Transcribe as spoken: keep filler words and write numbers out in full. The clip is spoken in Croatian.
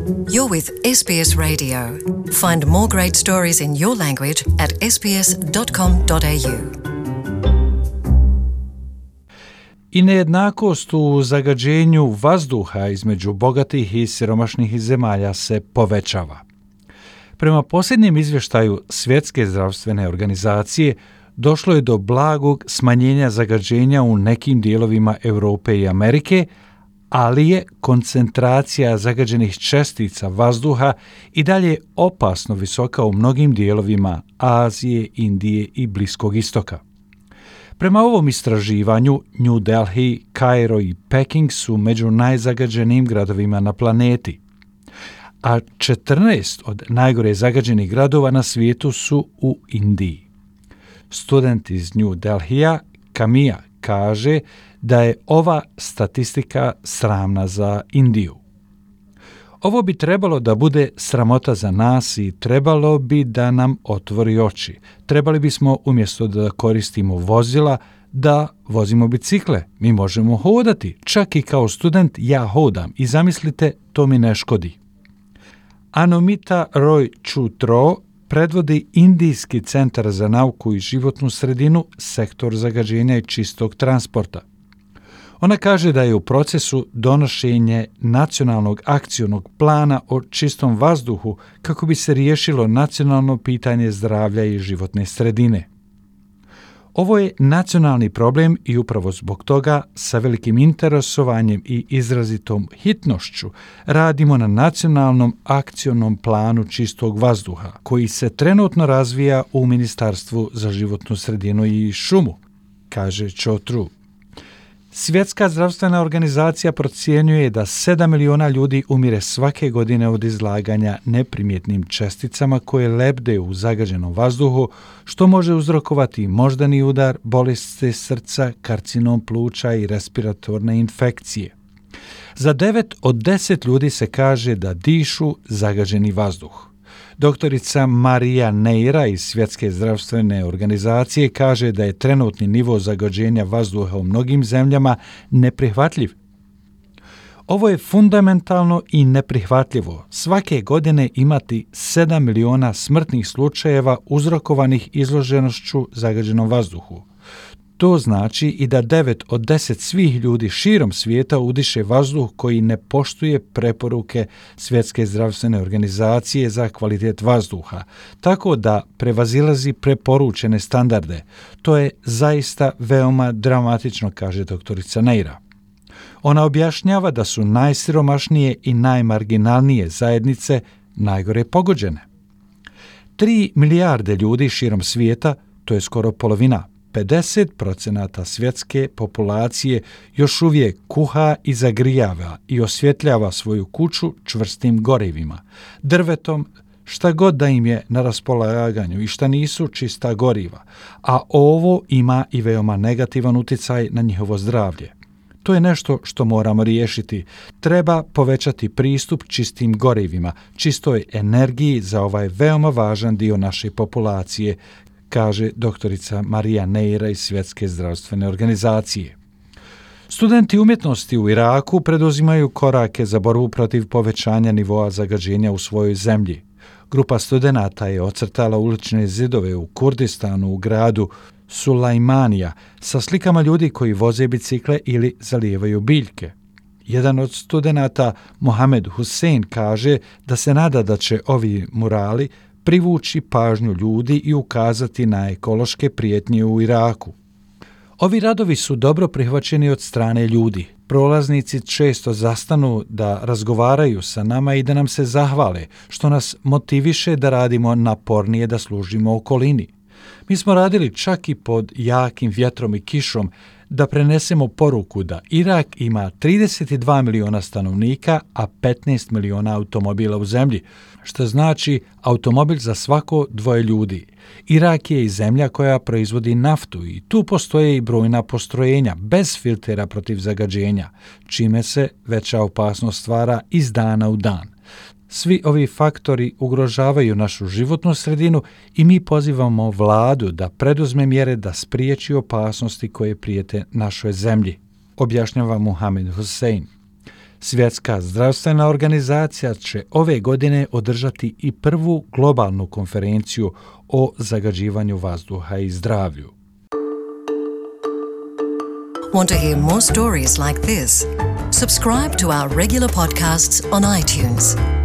You're with S B S Radio. Find more great stories in your language at s b s dot com dot a u. I nejednakost u zagađenju vazduha između bogatih i siromašnih zemalja se povećava. Prema posljednjem izvještaju Svjetske zdravstvene organizacije, došlo je do blagog smanjenja zagađenja u nekim dijelovima Europe i Amerike, ali je koncentracija zagađenih čestica vazduha i dalje opasno visoka u mnogim dijelovima Azije, Indije i Bliskog istoka. Prema ovom istraživanju, New Delhi, Kairo i Peking su među najzagađenijim gradovima na planeti, a četrnaest od najgore zagađenih gradova na svijetu su u Indiji. Student iz New Delhija, Kamija, kaže da je ova statistika sramna za Indiju. Ovo bi trebalo da bude sramota za nas i trebalo bi da nam otvori oči. Trebali bismo umjesto da koristimo vozila, da vozimo bicikle. Mi možemo hodati. Čak i kao student ja hodam i zamislite, to mi ne škodi. Anomita Roy Chutro predvodi Indijski centar za nauku i životnu sredinu, sektor zagađenja i čistog transporta. Ona kaže da je u procesu donošenje nacionalnog akcionog plana o čistom vazduhu kako bi se riješilo nacionalno pitanje zdravlja i životne sredine. Ovo je nacionalni problem i upravo zbog toga sa velikim interesovanjem i izrazitom hitnošću radimo na nacionalnom akcionom planu čistog vazduha koji se trenutno razvija u Ministarstvu za životnu sredinu i šumu, kaže Chotru. Svjetska zdravstvena organizacija procjenjuje da sedam miliona ljudi umire svake godine od izlaganja neprimjetnim česticama koje lebde u zagađenom vazduhu, što može uzrokovati moždani udar, bolesti srca, karcinom pluća i respiratorne infekcije. Za devet od deset ljudi se kaže da dišu zagađeni vazduh. Doktorica Marija Neira iz Svjetske zdravstvene organizacije kaže da je trenutni nivo zagađenja vazduha u mnogim zemljama neprihvatljiv. Ovo je fundamentalno i neprihvatljivo. Svake godine imati sedam miliona smrtnih slučajeva uzrokovanih izloženošću zagađenom vazduhu. To znači i da devet od deset svih ljudi širom svijeta udiše vazduh koji ne poštuje preporuke Svjetske zdravstvene organizacije za kvalitet vazduha, tako da prevazilazi preporučene standarde. To je zaista veoma dramatično, kaže doktorica Neira. Ona objašnjava da su najsiromašnije i najmarginalnije zajednice najgore pogođene. Tri milijarde ljudi širom svijeta, to je skoro polovina, pedeset procenata svjetske populacije još uvijek kuha i zagrijava i osvjetljava svoju kuću čvrstim gorivima, drvetom, šta god da im je na raspolaganju i šta nisu čista goriva, a ovo ima i veoma negativan utjecaj na njihovo zdravlje. To je nešto što moramo riješiti. Treba povećati pristup čistim gorivima, čistoj energiji za ovaj veoma važan dio naše populacije, kaže doktorica Marija Neira iz Svjetske zdravstvene organizacije. Studenti umjetnosti u Iraku preduzimaju korake za borbu protiv povećanja nivoa zagađenja u svojoj zemlji. Grupa studenata je ocrtala ulične zidove u Kurdistanu u gradu Sulajmanija sa slikama ljudi koji voze bicikle ili zalijevaju biljke. Jedan od studenata, Mohamed Hussein, kaže da se nada da će ovi murali privući pažnju ljudi i ukazati na ekološke prijetnje u Iraku. Ovi radovi su dobro prihvaćeni od strane ljudi. Prolaznici često zastanu da razgovaraju sa nama i da nam se zahvale, što nas motiviše da radimo napornije da služimo okolini. Mi smo radili čak i pod jakim vjetrom i kišom da prenesemo poruku da Irak ima trideset dva miliona stanovnika, a petnaest miliona automobila u zemlji, što znači automobil za svako dvoje ljudi. Irak je i zemlja koja proizvodi naftu i tu postoje i brojna postrojenja bez filtera protiv zagađenja, čime se veća opasnost stvara iz dana u dan. Svi ovi faktori ugrožavaju našu životnu sredinu i mi pozivamo vladu da preduzme mjere da spriječi opasnosti koje prijete našoj zemlji, objašnjava Mohamed Hussein. Svjetska zdravstvena organizacija će ove godine održati i prvu globalnu konferenciju o zagađivanju vazduha i zdravlju. Want to hear more stories like this? Subscribe to our regular podcasts on iTunes.